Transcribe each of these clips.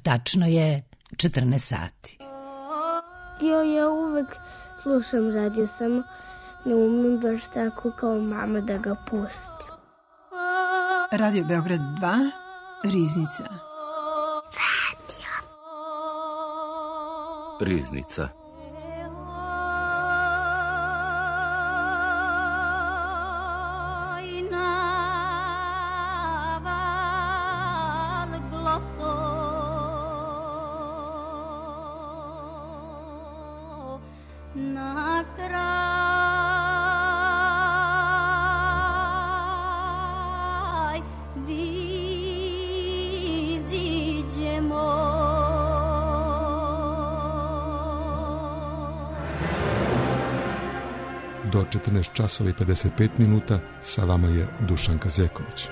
Tačno je 14 sati. Ja uvek slušam radio, samo ne umem baš tako kao mama da ga pustim. Radio Beograd 2, Riznica. Riznica. Do 14 časova i 55 minuta sa vama je Dušanka Zeković.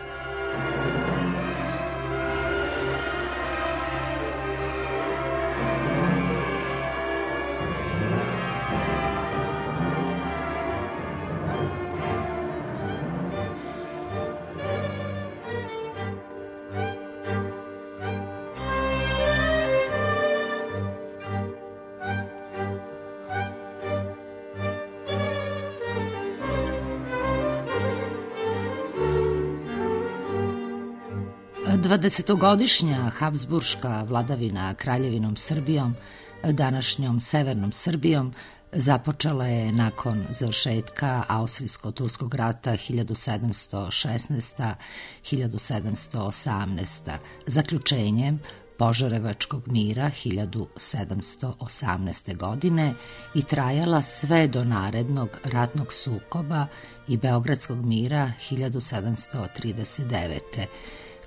Dvadesetogodišnja Habsburška vladavina Kraljevinom Srbijom, današnjom Severnom Srbijom, započela je nakon završetka Austrijsko-turskog rata 1716-1718, zaključenjem Požarevačkog mira 1718. godine i trajala sve do narednog ratnog sukoba i Beogradskog mira 1739.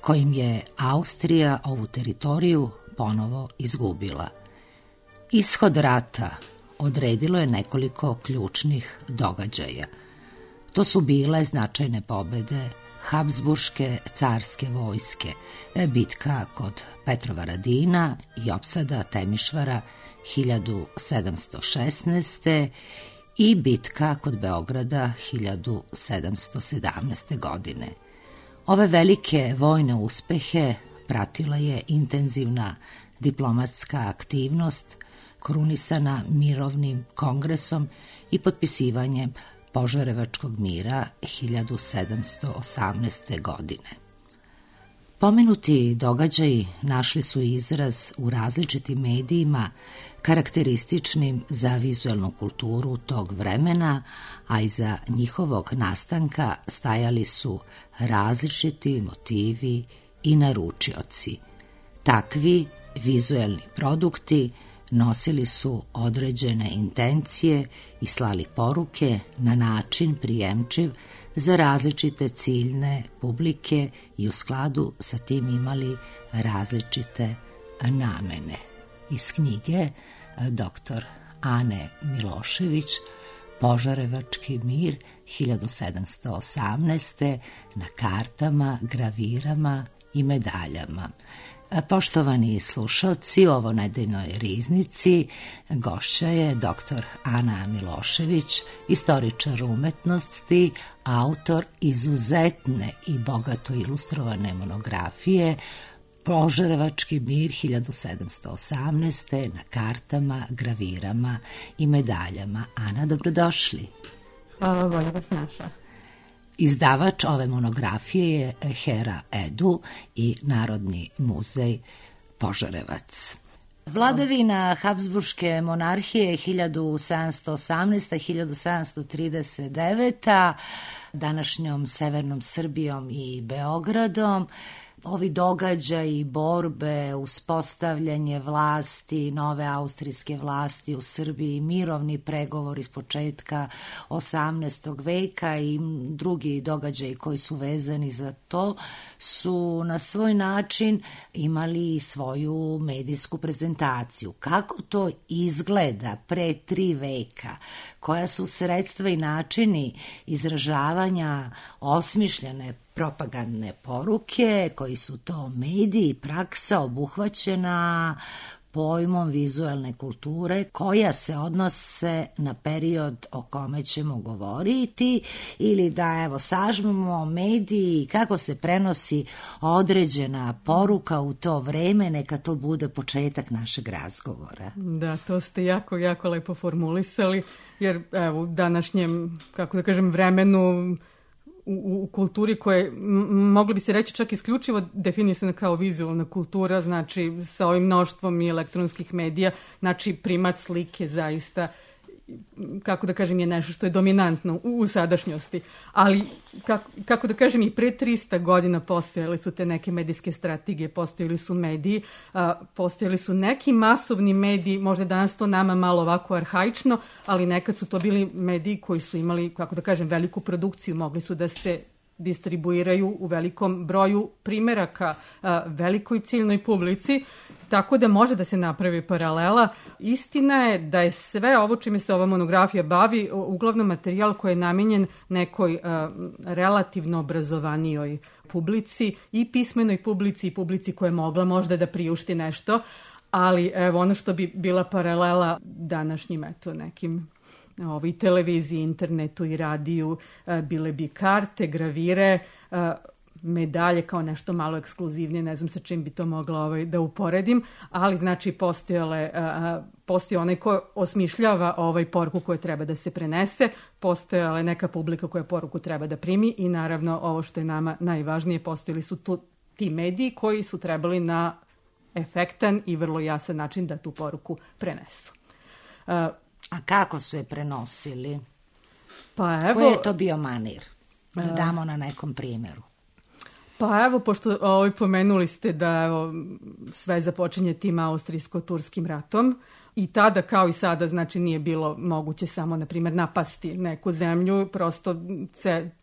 kojim je Austrija ovu teritoriju ponovo izgubila. Ishod rata odredilo je nekoliko ključnih događaja. To su bile značajne pobede Habsburške carske vojske, bitka kod Petrovaradina i opsada Temišvara 1716. i bitka kod Beograda 1717. godine. Ove velike vojne uspehe pratila je intenzivna diplomatska aktivnost krunisana mirovnim kongresom i potpisivanjem Požarevačkog mira 1718. godine. Pomenuti događaji našli su izraz u različitim medijima karakterističnim za vizuelnu kulturu tog vremena, a iza njihovog nastanka stajali su različiti motivi i naručioci. Takvi vizuelni produkti nosili su određene intencije i slali poruke na način prijemčiv za različite ciljne publike i u skladu sa tim imali različite namene. Iz knjige dr. Ane Milošević Požarevački mir 1718. na kartama, gravirama i medaljama. Poštovani slušalci, u ovonedeljnoj riznici gošća je dr. Ana Milošević, istoričar umetnosti, autor izuzetne i bogato ilustrovane monografije Požarevački mir 1718. na kartama, gravirama i medaljama. Ana, dobrodošli. Hvala, bolje vas našla. Izdavač ove monografije je Hera Edu i Narodni muzej Požarevac. Vladavina Habsburške monarhije 1718-1739, današnjom Severnom Srbijom i Beogradom. Ovi događaji, borbe, uspostavljanje vlasti, nove austrijske vlasti u Srbiji, mirovni pregovor iz početka 18. veka i drugi događaji koji su vezani za to su na svoj način imali svoju medijsku prezentaciju. Kako to izgleda pre 3 veka? Koja su sredstva i načini izražavanja osmišljene propagandne poruke, koji su to mediji, praksa obuhvaćena pojmom vizualne kulture koja se odnose na period o kome ćemo govoriti ili da evo sažmemo mediji kako se prenosi određena poruka u to vreme, neka to bude početak našeg razgovora. Da, to ste jako, jako lepo formulisali, jer evo u današnjem, kako da kažem, vremenu u kulturi koje mogli bi se reći čak isključivo definisana kao vizualna kultura, znači sa ovim mnoštvom i elektronskih medija, znači primat slike zaista, kako da kažem, je nešto što je dominantno u sadašnjosti. Ali, kako da kažem, i pre 300 godina postojale su te neke medijske strategije, postojali su mediji, postojali su neki masovni mediji, možda danas to nama malo ovako arhaično, ali nekad su to bili mediji koji su imali, kako da kažem, veliku produkciju, mogli su da se distribuiraju u velikom broju primeraka velikoj ciljnoj publici, tako da može da se napravi paralela. Istina je da je sve ovo čime se ova monografija bavi uglavnom materijal koji je namenjen nekoj relativno obrazovanijoj publici, i pismenoj publici i publici koja je mogla možda da priušti nešto, ali evo ono što bi bila paralela današnjim nekim i televiziji, internetu i radiju, bile bi karte, gravire, medalje kao nešto malo ekskluzivnije, ne znam sa čim bi to mogla da uporedim, ali znači postoji onaj ko osmišljava poruku koja treba da se prenese, postojala neka publika koja poruku treba da primi i naravno ovo što je nama najvažnije, postojali su ti mediji koji su trebali na efektan i vrlo jasan način da tu poruku prenesu. A kako su je prenosili? Pa evo, koji je to bio manir? Da damo na nekom primjeru. Pa evo, pošto pomenuli ste da sve započinje tim austrijsko-turskim ratom i tada kao i sada, znači nije bilo moguće samo, na primjer, napasti neku zemlju, prosto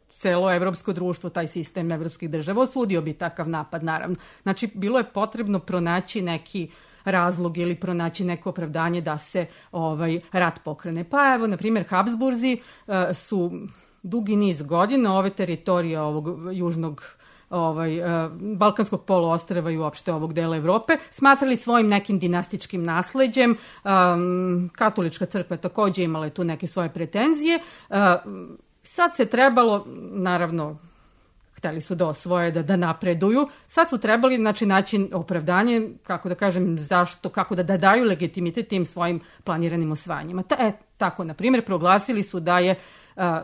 celo evropsko društvo, taj sistem evropskih država osudio bi takav napad, naravno. Znači, bilo je potrebno pronaći neki razlog ili pronaći neko opravdanje da se rat pokrene. Pa evo, na primjer, Habsburzi su dugi niz godina ove teritorije ovog južnog Balkanskog poluostrva i uopšte ovog dela Evrope smatrali svojim nekim dinastičkim nasleđem. Katolička crkva takođe imala je tu neke svoje pretenzije. Sad se trebalo, naravno, hteli su da osvoje, da napreduju. Sad su trebali naći opravdanje, kako da kažem, zašto, kako da daju legitimitet tim svojim planiranim osvajanjima. Tako, na primjer, proglasili su da je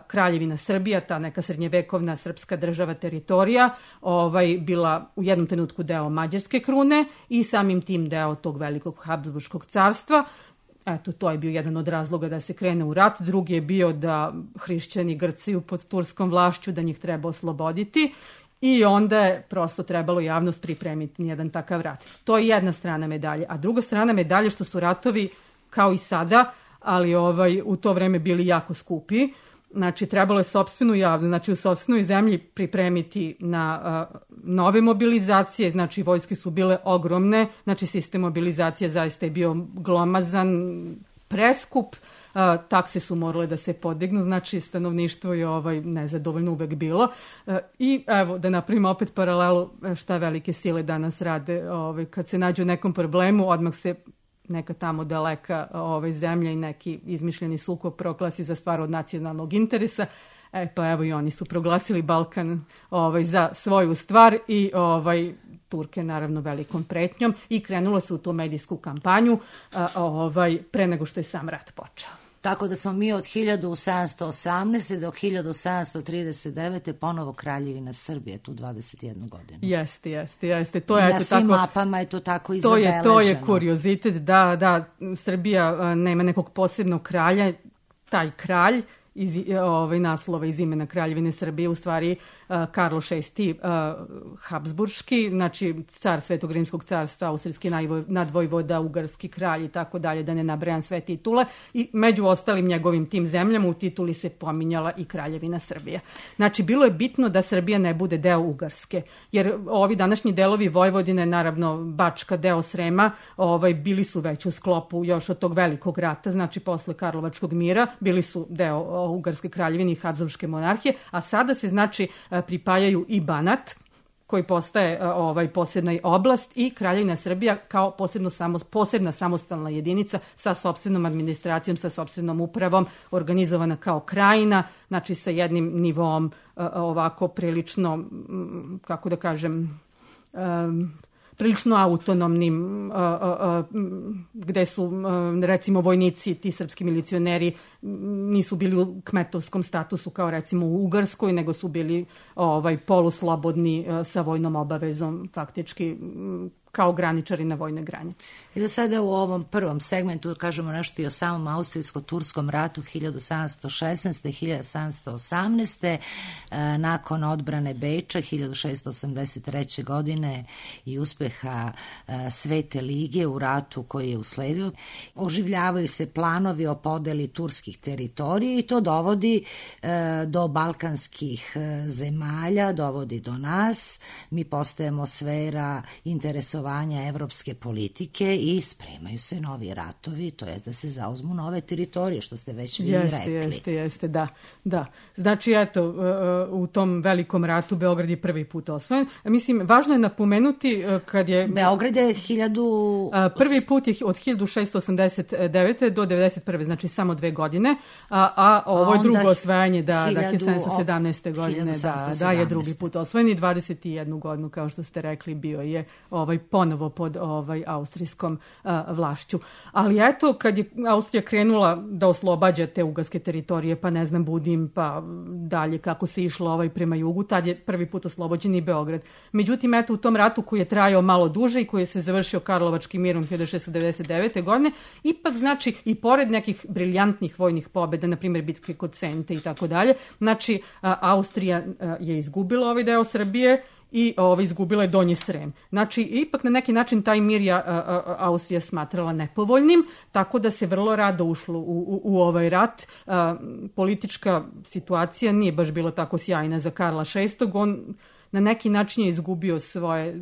Kraljevina Srbija, ta neka srednjevekovna srpska država, teritorija, bila u jednom trenutku deo Mađarske krune i samim tim deo tog velikog Habsburškog carstva. Eto, to je bio jedan od razloga da se krene u rat. Drugi je bio da hrišćani grcaju pod turskom vlašću, da njih treba osloboditi i onda je prosto trebalo javnost pripremiti jedan takav rat. To je jedna strana medalje. A druga strana medalje što su ratovi kao i sada, ali u to vreme bili jako skupi. Znači, trebalo je sopstvenu javnost, znači u sopstvenoj zemlji pripremiti na nove mobilizacije, znači vojske su bile ogromne, znači sistem mobilizacije zaista je bio glomazan, preskup, takse su morale da se podignu, znači stanovništvo je nezadovoljno uvek bilo. I evo, da napravimo opet paralelu šta velike sile danas rade, kad se nađu u nekom problemu, odmah se neka tamo daleka zemlja i neki izmišljeni sukob proglasi za stvar od nacionalnog interesa. Pa evo i oni su proglasili Balkan za svoju stvar i Turke naravno velikom pretnjom i krenulo se u tu medijsku kampanju pre nego što je sam rat počeo. Tako da smo mi od 1718. do 1739. ponovo Kraljevina Srbije, tu 21 godinu. Jeste. To je, na svim mapama je to tako izabeleženo. To je kuriozitet, da Srbija nema nekog posebnog kralja, taj kralj iz naslova iz imena Kraljevine Srbije, u stvari Karlo VI Habsburški, znači car Svetog Rimskog carstva, austrijski nadvojvoda, ugarski kralj i tako dalje, da ne nabrajam sve titule, i među ostalim njegovim tim zemljama u tituli se pominjala i Kraljevina Srbija. Znači, bilo je bitno da Srbija ne bude deo Ugarske, jer ovi današnji delovi Vojvodine, naravno Bačka, deo Srema, bili su već u sklopu još od tog velikog rata, znači posle Karlovačkog mira, bili su deo Ugarske kraljevine i Habsburške monarhije, a sada se znači pripajaju i Banat, koji postaje posebna oblast i Kraljevina Srbija kao posebna samostalna jedinica sa sopstvenom administracijom, sa sopstvenom upravom, organizovana kao krajina, znači sa jednim nivom ovako prilično, kako da kažem, prilično autonomnim, gde su, recimo, vojnici, ti srpski milicioneri nisu bili u kmetovskom statusu kao recimo u Ugarskoj, nego su bili poluslobodni sa vojnom obavezom, faktički kao graničari na vojnoj granici. I da sada u ovom prvom segmentu kažemo nešto i o samom austrijsko-turskom ratu 1716. 1718. Nakon odbrane Beča 1683. godine i uspeha Svete lige u ratu koji je usledio, oživljavaju se planovi o podeli turskih teritorija i to dovodi do balkanskih zemalja, dovodi do nas. Mi postajemo sfera interesovanja evropske politike i spremaju se novi ratovi, to je da se zauzmu nove teritorije, što ste već vi rekli. Jeste, da. Znači, eto, u tom velikom ratu Beograd je prvi put osvojen. Mislim, važno je napomenuti kad je... Beograd je prvi put je od 1689. do 91. Znači, samo 2 godine, a ovo je drugo osvajanje, 1717. godine, da je drugi put osvojen i 21 godinu, kao što ste rekli, bio je ponovo pod austrijskom vlašću. Ali eto, kad je Austrija krenula da oslobađa te ugarske teritorije, pa ne znam, Budim, pa dalje kako se išlo prema jugu, tad je prvi put oslobođen i Beograd. Međutim, eto, u tom ratu koji je trajao malo duže i koji je se završio Karlovačkim mirom 1699. godine, ipak, znači, i pored nekih briljantnih vojnih pobjeda, na primjer bitke kod Sente i tako dalje, znači, Austrija je izgubila ovaj deo Srbije i izgubila je Donji Srem. Znači, ipak na neki način taj mir je Austrija smatrala nepovoljnim, tako da se vrlo rado ušlo u ovaj rat. Politička situacija nije baš bila tako sjajna za Karla VI. On na neki način je izgubio svoje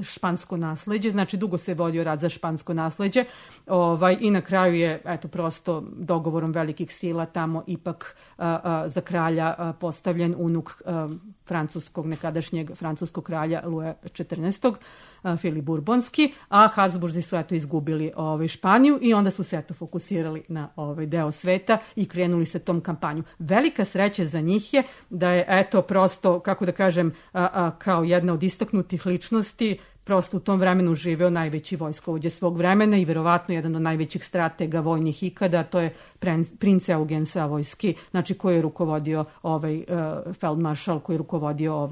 špansko nasleđe, znači dugo se vodio rat za špansko nasleđe i na kraju je, eto, prosto dogovorom velikih sila tamo ipak za kralja postavljen unuk nekadašnjeg francuskog kralja Luja XIV. Filip Burbonski, a Habsburzi su izgubili Španiju i onda su se fokusirali na deo sveta i krenuli se tom kampanju. Velika sreća za njih je da je prosto, kako da kažem, kao jedna od istaknutih ličnosti prosto u tom vremenu živeo najveći vojskovođa svog vremena i verovatno jedan od najvećih stratega vojnih ikada, to je princ Eugen Savojski, znači koji je rukovodio feldmaršal, koji je rukovodio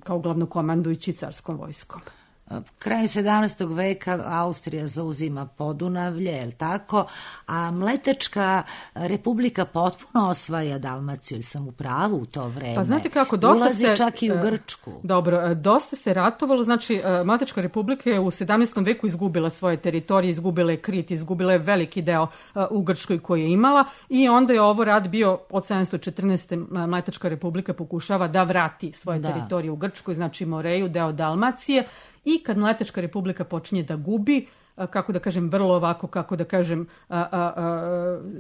kao glavnokomandujući carskom vojskom. Krajem 17. veka Austrija zauzima Podunavlje, je li tako? A Mletačka republika potpuno osvaja Dalmaciju, ili sam u pravu u to vreme? Pa znate kako, ulazi čak i u Grčku. Dobro, dosta se ratovalo, znači Mletačka republika je u 17. veku izgubila svoje teritorije, izgubila je Krit, izgubila je veliki deo u Grčkoj koji je imala i onda je ovo rat bio od 714. Mletačka republika pokušava da vrati svoje teritorije u Grčkoj, znači Moreju, deo Dalmacije. I kad Mletačka republika počinje da gubi, kako da kažem, vrlo ovako, kako da kažem,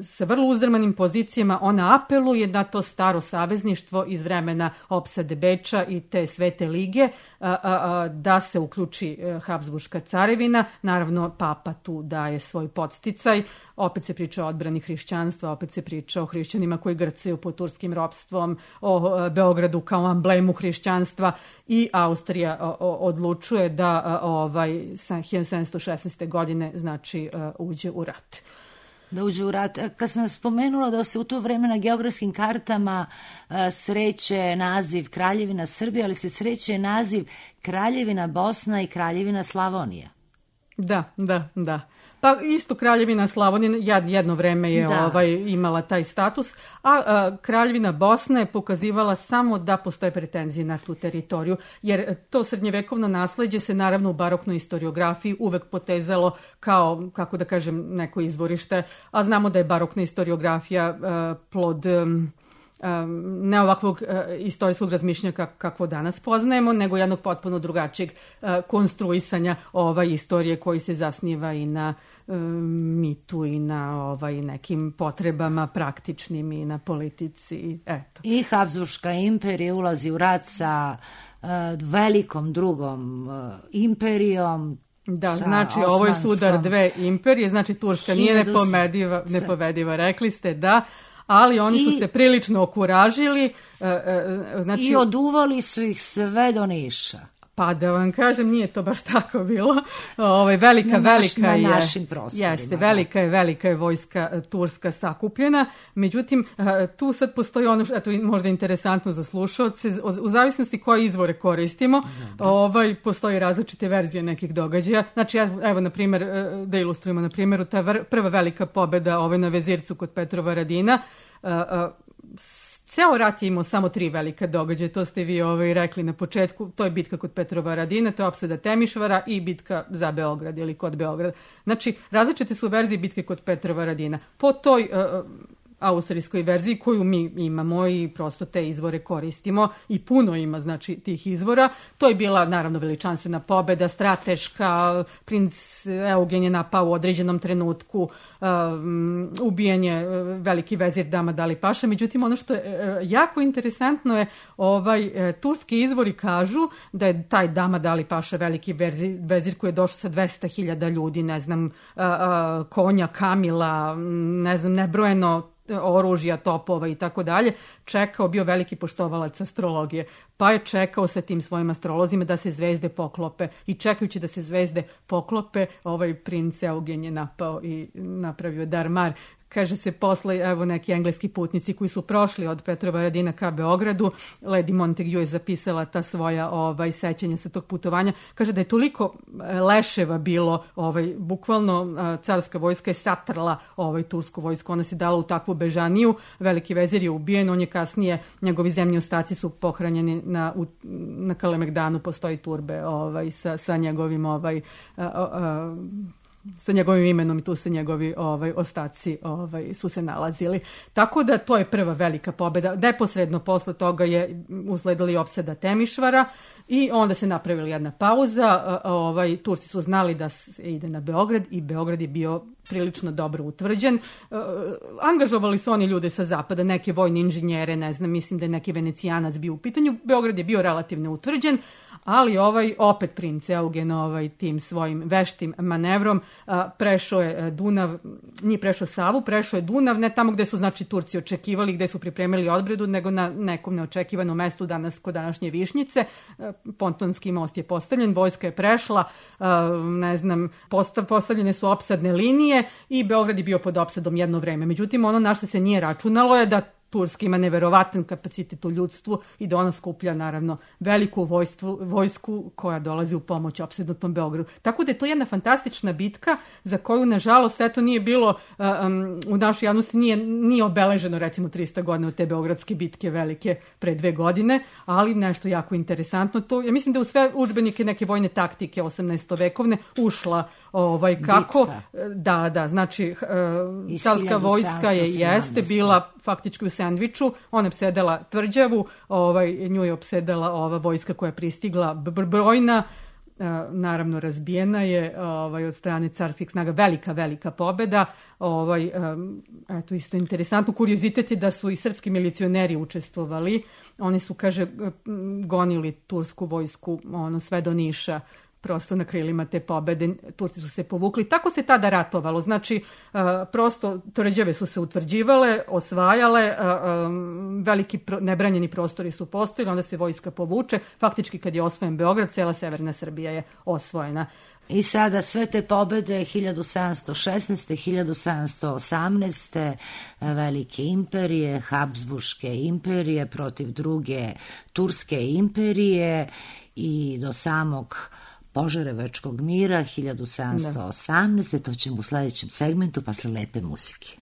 sa vrlo uzdrmanim pozicijama, ona apeluje na to staro savezništvo iz vremena opsade Beča i te Svete lige, da se uključi Habsburška carevina. Naravno, papa tu daje svoj podsticaj. Opet se priča o odbrani hrišćanstva, opet se priča o hrišćanima koji grcaju pod turskim ropstvom, o Beogradu kao amblemu hrišćanstva i Austrija odlučuje da 1716. godine znači uđe u rat. Da uđe u rat. Kad sam spomenula da se u to vreme na geografskim kartama sreće naziv Kraljevina Srbija, ali se sreće naziv Kraljevina Bosna i Kraljevina Slavonija. Da. Pa isto Kraljevina Slavonija jedno vreme je imala taj status, a Kraljevina Bosna je pokazivala samo da postoje pretenzije na tu teritoriju, jer to srednjevekovno nasleđe se naravno u baroknoj istoriografiji uvek potezalo kao, kako da kažem, neko izvorište, a znamo da je barokna istoriografija plod ne ovakvog istorijskog razmišljanja kakvo danas poznajemo, nego jednog potpuno drugačijeg konstruisanja istorije koji se zasniva i na mitu i na nekim potrebama praktičnim i na politici. Eto. I Habsburška imperija ulazi u rat sa velikom drugom imperijom. Da, znači ovo je sudar dve imperije, znači Turska nije nepobediva, rekli ste, da, ali oni su se prilično okuražili. Znači, i oduvali su ih sve do Niša. Pa da vam kažem, nije to baš tako bilo. Velika je vojska turska sakupljena. Međutim, tu sad postoji ono što je možda interesantno za slušalce. U zavisnosti koje izvore koristimo, postoji različite verzije nekih događaja. Znači, evo, na primjer, da ilustrujemo na primjeru, ta prva velika pobjeda na Vezircu kod Petrovaradina, ceo rat je imao samo 3 velika događaja, to ste vi rekli na početku, to je bitka kod Petrovaradina, to je opsada Temišvara i bitka za Beograd ili kod Beograda. Znači, različite su verzije bitke kod Petrovaradina. Po toj austrijskoj verziji koju mi imamo i prosto te izvore koristimo i puno ima znači tih izvora. To je bila naravno veličanstvena pobeda, strateška, princ Eugen je napao u određenom trenutku, ubijanje veliki vezir Dama Dali Paša. Međutim, ono što je jako interesantno je turski izvori kažu da je taj Dama Dali Paša veliki vezir koji je došao sa 200.000 ljudi, ne znam, konja, kamila, ne znam, nebrojeno oružja, topova i tako dalje, čekao, bio veliki poštovalac astrologije, pa je čekao sa tim svojim astrolozima da se zvezde poklope i čekajući da se zvezde poklope, princ Eugen je napao i napravio darmar. Kaže se posle, evo, neki engleski putnici koji su prošli od Petrovaradina ka Beogradu, Lady Montagu je zapisala ta svoja sećanja sa tog putovanja. Kaže da je toliko leševa bilo, bukvalno carska vojska je satrla tursku vojsku, ona se dala u takvu bežaniju, veliki vezir je ubijen, on je kasnije, njegovi zemlji ostaci su pohranjeni na Kalemegdanu, postoji turbe sa njegovim sa njegovim imenom i tu se njegovi ostaci su se nalazili. Tako da to je prva velika pobjeda. Neposredno posle toga je usledila i opsada Temišvara i onda se napravila jedna pauza. Turci su znali da se ide na Beograd i Beograd je bio prilično dobro utvrđen. Angažovali su oni ljude sa zapada, neke vojne inženjere, ne znam, mislim da je neki Venecijanac bio u pitanju. Beograd je bio relativno utvrđen, ali opet princ Eugen tim svojim veštim manevrom prešao je Dunav, nije prešao Savu, prešao je Dunav, ne tamo gde su znači Turci očekivali, gde su pripremili odbranu, nego na nekom neočekivanom mestu danas kod današnje Višnjice. Pontonski most je postavljen, vojska je prešla, ne znam, postavljene su opsadne linije i Beograd je bio pod opsadom jedno vreme. Međutim, ono na što se nije računalo je da Turska ima neverovatan kapacitet u ljudstvu i da ona skuplja naravno veliku vojsku koja dolazi u pomoć opsednutom Beogradu. Tako da je to jedna fantastična bitka za koju nažalost eto nije bilo u našoj javnosti nije obeleženo recimo 300 godina od te beogradske bitke velike pre 2 godine, ali nešto jako interesantno. To, ja mislim da u sve udžbenike neke vojne taktike 18. vekovne ušla kako bitka. Da, znači carska vojska jeste bila faktički u sendviču, ona je opsedala tvrđavu, nju je opsedala ova vojska koja je pristigla brojna, naravno razbijena je od strane carskih snaga, velika pobjeda. Eto, isto interesantno, kuriozitet je da su i srpski milicioneri učestvovali, oni su, kaže, gonili tursku vojsku sve do Niša, prosto na krilima te pobede, Turci su se povukli. Tako se tada ratovalo. Znači, prosto tvrđave su se utvrđivale, osvajale, veliki nebranjeni prostori su postojili, onda se vojska povuče. Faktički, kad je osvojen Beograd, cela severna Srbija je osvojena. I sada sve te pobede 1716. 1718. velike imperije, Habsburške imperije protiv druge Turske imperije i do samog Požarevačkog mira 1718. To ćemo u sledećem segmentu posle lepe muzike.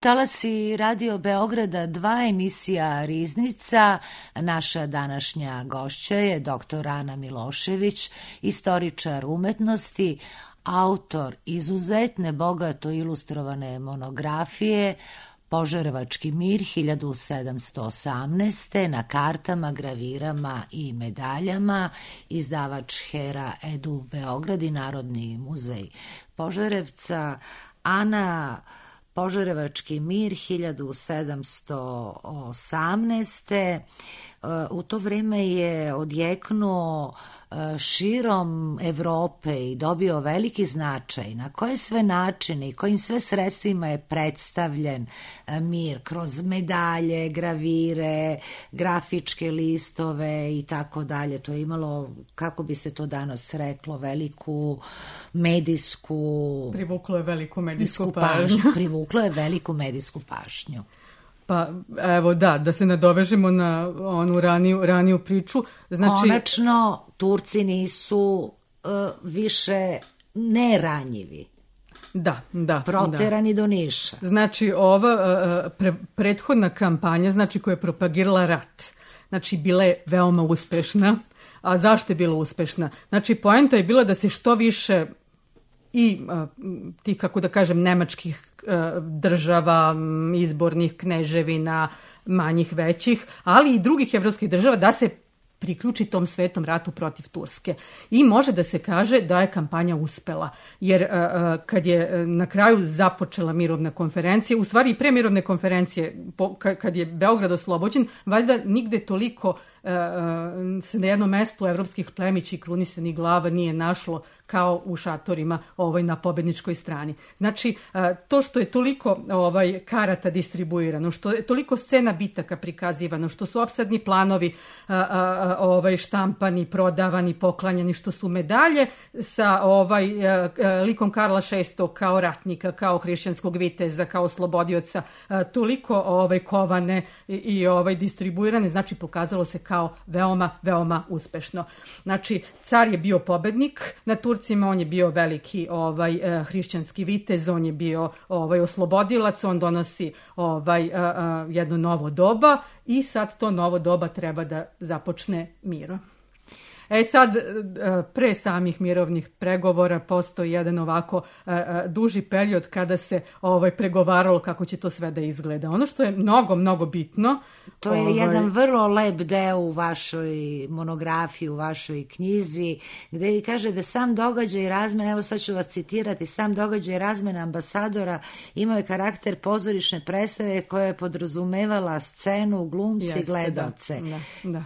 Talasi Radio Beograda 2, emisija Riznica. Naša današnja gošća je dr. Ana Milošević, istoričar umetnosti, autor izuzetne bogato ilustrovane monografije Požarevački mir 1718. na kartama, gravirama i medaljama, izdavač Hera Edu Beograd i Narodni muzej Požarevca. Ana, Požarevački mir 1718. U to vreme je odjeknuo širom Evrope i dobio veliki značaj. Na koje sve načine i kojim sve sredstvima je predstavljen mir? Kroz medalje, gravire, grafičke listove i tako dalje. To je imalo, kako bi se to danas reklo, veliku medijsku... Privuklo je veliku medijsku pažnju. Privuklo je veliku medijsku pažnju. Pa evo da se nadovežemo na onu raniju priču. Znači, konačno, Turci nisu više neranjivi. Da. Proterani do Niša. Znači, ova prethodna kampanja, znači, koja je propagirala rat, znači, bila je veoma uspešna. A zašto je bila uspešna? Znači, poenta je bila da se što više i tih, kako da kažem, nemačkih država, izbornih kneževina, manjih, većih, ali i drugih evropskih država da se priključi tom svetom ratu protiv Turske. I može da se kaže da je kampanja uspela. Jer kad je na kraju započela mirovna konferencija, u stvari i pre mirovne konferencije, kad je Beograd oslobođen, valjda nigde toliko se na jednom mestu evropskih plemići, krunisanih glava nije našlo kao u šatorima na pobedničkoj strani. Znači, to što je toliko karata distribuirano, što je toliko scena bitaka prikazivano, što su opsadni planovi štampani, prodavani, poklanjani, što su medalje sa likom Karla VI kao ratnika, kao hrišćanskog viteza, kao oslobodioca, toliko kovane i distribuirane, znači pokazalo se kao veoma, veoma uspešno. Znači, car je bio pobednik na Turcima, on je bio veliki hrišćanski vitez, on je bio oslobodilac, on donosi jedno novo doba i sad to novo doba treba da započne mirom. Sad, pre samih mirovnih pregovora postoji jedan ovako duži period kada se pregovaralo kako će to sve da izgleda. Ono što je mnogo, mnogo bitno... To je jedan vrlo lep deo u vašoj monografiji, u vašoj knjizi, gde vi kaže da sam događaj razmena, evo sad ću vas citirati, sam događaj razmena ambasadora imao je karakter pozorišne predstave koja je podrazumevala scenu, glumce i gledaoce. Da.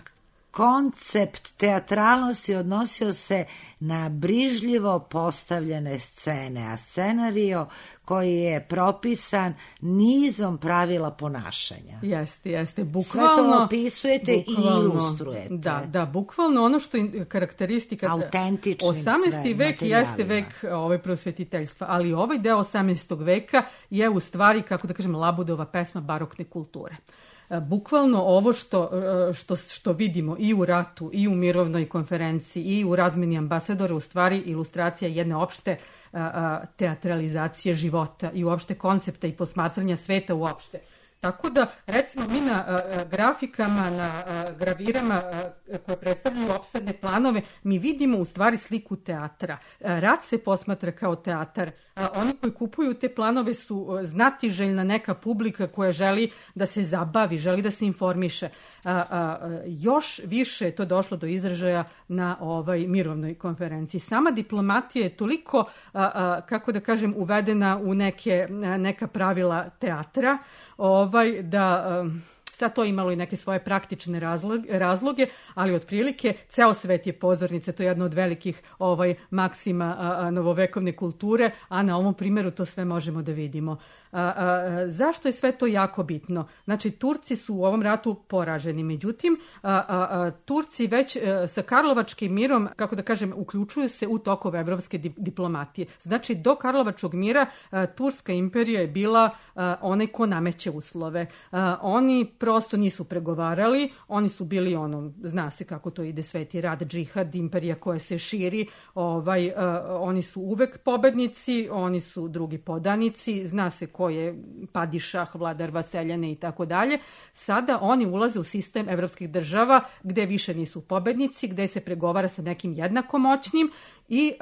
Koncept teatralnosti odnosio se na brižljivo postavljene scene, a scenario koji je propisan nizom pravila ponašanja. Jeste, bukvalno. Sve to opisujete i ilustrujete. Da, bukvalno ono što je karakteristika... Autentičnim 18. vek jeste vek prosvetiteljstva, ali ovaj deo 18. veka je u stvari, kako da kažem, Labudova pesma barokne kulture. Bukvalno ovo što vidimo i u ratu, i u mirovnoj konferenciji, i u razmeni ambasadora, u stvari ilustracija jedne opšte teatralizacije života i uopšte koncepta i posmatranja sveta uopšte. Tako da, recimo, mi na grafikama, na gravirama koje predstavljaju opsadne planove, mi vidimo u stvari sliku teatra. Rat se posmatra kao teatar. Oni koji kupuju te planove su znatiželjna neka publika koja želi da se zabavi, želi da se informiše. Još više je to došlo do izražaja na mirovnoj konferenciji. Sama diplomatija je toliko, kako da kažem, uvedena u neka pravila teatra, da sad to imalo i neke svoje praktične razloge, ali otprilike ceo svet je pozornica, to je jedna od velikih maksima novovekovne kulture, a na ovom primjeru to sve možemo da vidimo. Zašto je sve to jako bitno? Znači, Turci su u ovom ratu poraženi, međutim, Turci već sa Karlovačkim mirom, kako da kažem, uključuju se u tokove evropske diplomatije. Znači, do Karlovačkog mira Turska imperija je bila onaj ko nameće uslove. Oni prosto nisu pregovarali, oni su bili zna se kako to ide, sveti rat, džihad, imperija koja se širi, oni su uvek pobednici, oni su drugi podanici, zna se ko je padišah, vladar vaseljane i tako dalje. Sada oni ulaze u sistem evropskih država gde više nisu pobednici, gde se pregovara sa nekim jednako moćnim i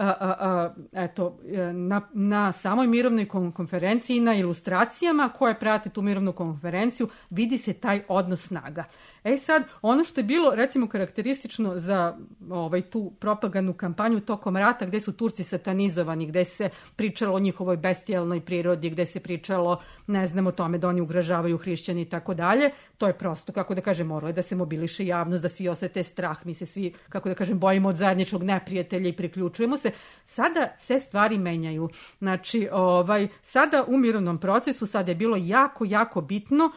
na samoj mirovnoj konferenciji, na ilustracijama koje prate tu mirovnu konferenciju, vidi se taj odnos snaga. Sad, ono što je bilo, recimo, karakteristično za tu propagandnu kampanju tokom rata, gde su Turci satanizovani, gde se pričalo o njihovoj bestijalnoj prirodi, gde se pričalo, ne znam, o tome da oni ugrožavaju hrišćani i tako dalje, to je prosto, kako da kažem, moralo je da se mobiliše javnost, da svi osete strah, mi se svi, kako da kažem, bojimo od zajedničkog neprijatelja i priključujemo se. Sada se stvari menjaju. Znači, sada u mirovnom procesu sada je bilo jako, jako bitno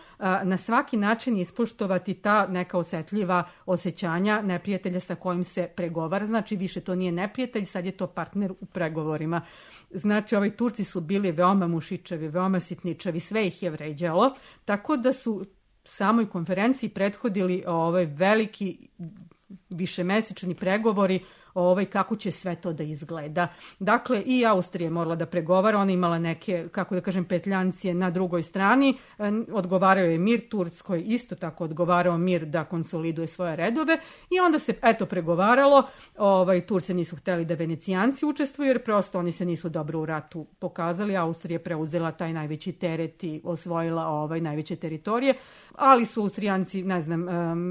na svaki način ispoštovati ta neka osetljiva osjećanja neprijatelja sa kojim se pregovara. Znači, više to nije neprijatelj, sad je to partner u pregovorima. Znači, Turci su bili veoma mušičavi, veoma sitničavi, sve ih je vređalo, tako da su samoj konferenciji prethodili veliki višemesečni pregovori kako će sve to da izgleda. Dakle, i Austrija je morala da pregovara, ona imala neke, kako da kažem, petljancije na drugoj strani, odgovarao je mir, Turskoj isto tako odgovarao mir da konsoliduje svoje redove i onda se, pregovaralo, Turci nisu hteli da Venecijanci učestvuju, jer prosto oni se nisu dobro u ratu pokazali, Austrija je preuzela taj najveći teret i osvojila najveće teritorije, ali su Austrijanci, ne znam,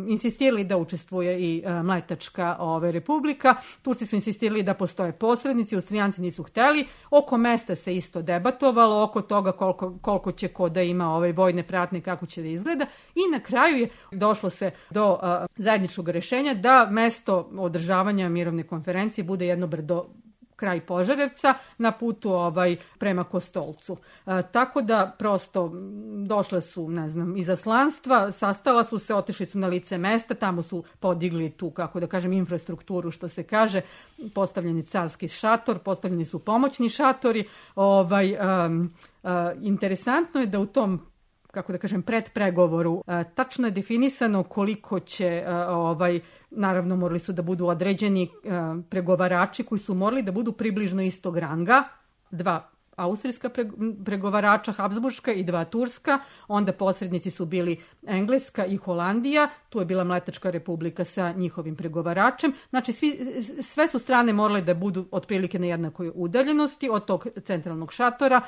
insistirali da učestvuje i Mletačka republika. Turci su insistirali da postoje posrednici, Austrijanci nisu hteli, oko mesta se isto debatovalo, oko toga koliko će ko da ima vojne pratnje, kako će da izgleda i na kraju je došlo se do zajedničkog rešenja da mesto održavanja mirovne konferencije bude jedno brdo kraj Požarevca na putu prema Kostolcu. Tako da prosto došle su, ne znam, izaslanstva, sastala su se, otišli su na lice mesta, tamo su podigli tu, kako da kažem, infrastrukturu, što se kaže, postavljeni carski šator, postavljeni su pomoćni šatori. Interesantno je da u tom, kako da kažem, predpregovoru tačno je definisano koliko će, naravno morali su da budu određeni pregovarači koji su morali da budu približno istog ranga, 2 austrijska pregovarača, Habsburška i 2 turska, onda posrednici su bili Engleska i Holandija, tu je bila Mletačka republika sa njihovim pregovaračem, znači sve su strane morale da budu otprilike na jednakoj udaljenosti od tog centralnog šatora,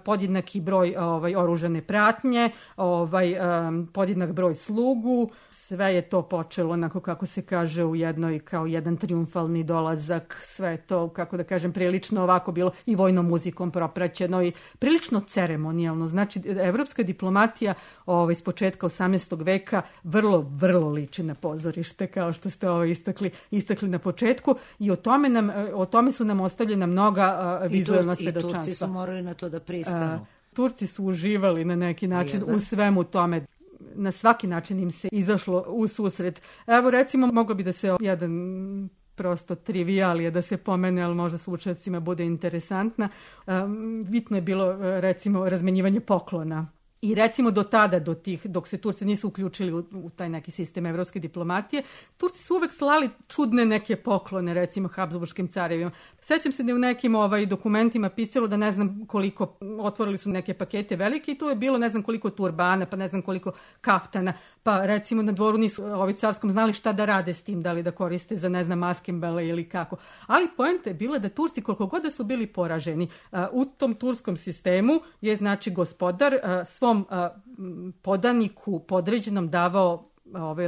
podjednaki broj oružane pratnje, podjednak broj slugu, sve je to počelo onako kako se kaže u jednoj, kao jedan triumfalni dolazak, sve to, kako da kažem, prilično ovako bilo i vojnom muzikom propraćeno i prilično ceremonijalno. Znači, evropska diplomatija s početka 18. veka vrlo, vrlo liči na pozorište, kao što ste istakli na početku i o tome su nam ostavljena mnoga vizualna svedočanstva. I Turci su morali na to da pristanu. Turci su uživali na neki način u svemu tome. Na svaki način im se izašlo u susret. Evo, recimo, moglo bi da se jedan prosto trivialije da se pomene, ali možda slušalcima bude interesantna. Bitno je bilo, recimo, razmenjivanje poklona. I recimo do tada, dok se Turci nisu uključili u taj neki sistem evropske diplomatije, Turci su uvek slali čudne neke poklone, recimo Habsburškim carevima. Sećam se da je u nekim dokumentima pisalo da ne znam koliko, otvorili su neke pakete velike i tu je bilo ne znam koliko turbana, pa ne znam koliko kaftana, pa recimo na dvoru nisu carskom znali šta da rade s tim, da li da koriste za ne znam maskembale ili kako. Ali poenta je bila da Turci, koliko god da su bili poraženi, u tom turskom sistemu je znači gospodar svom podaniku podređenom davao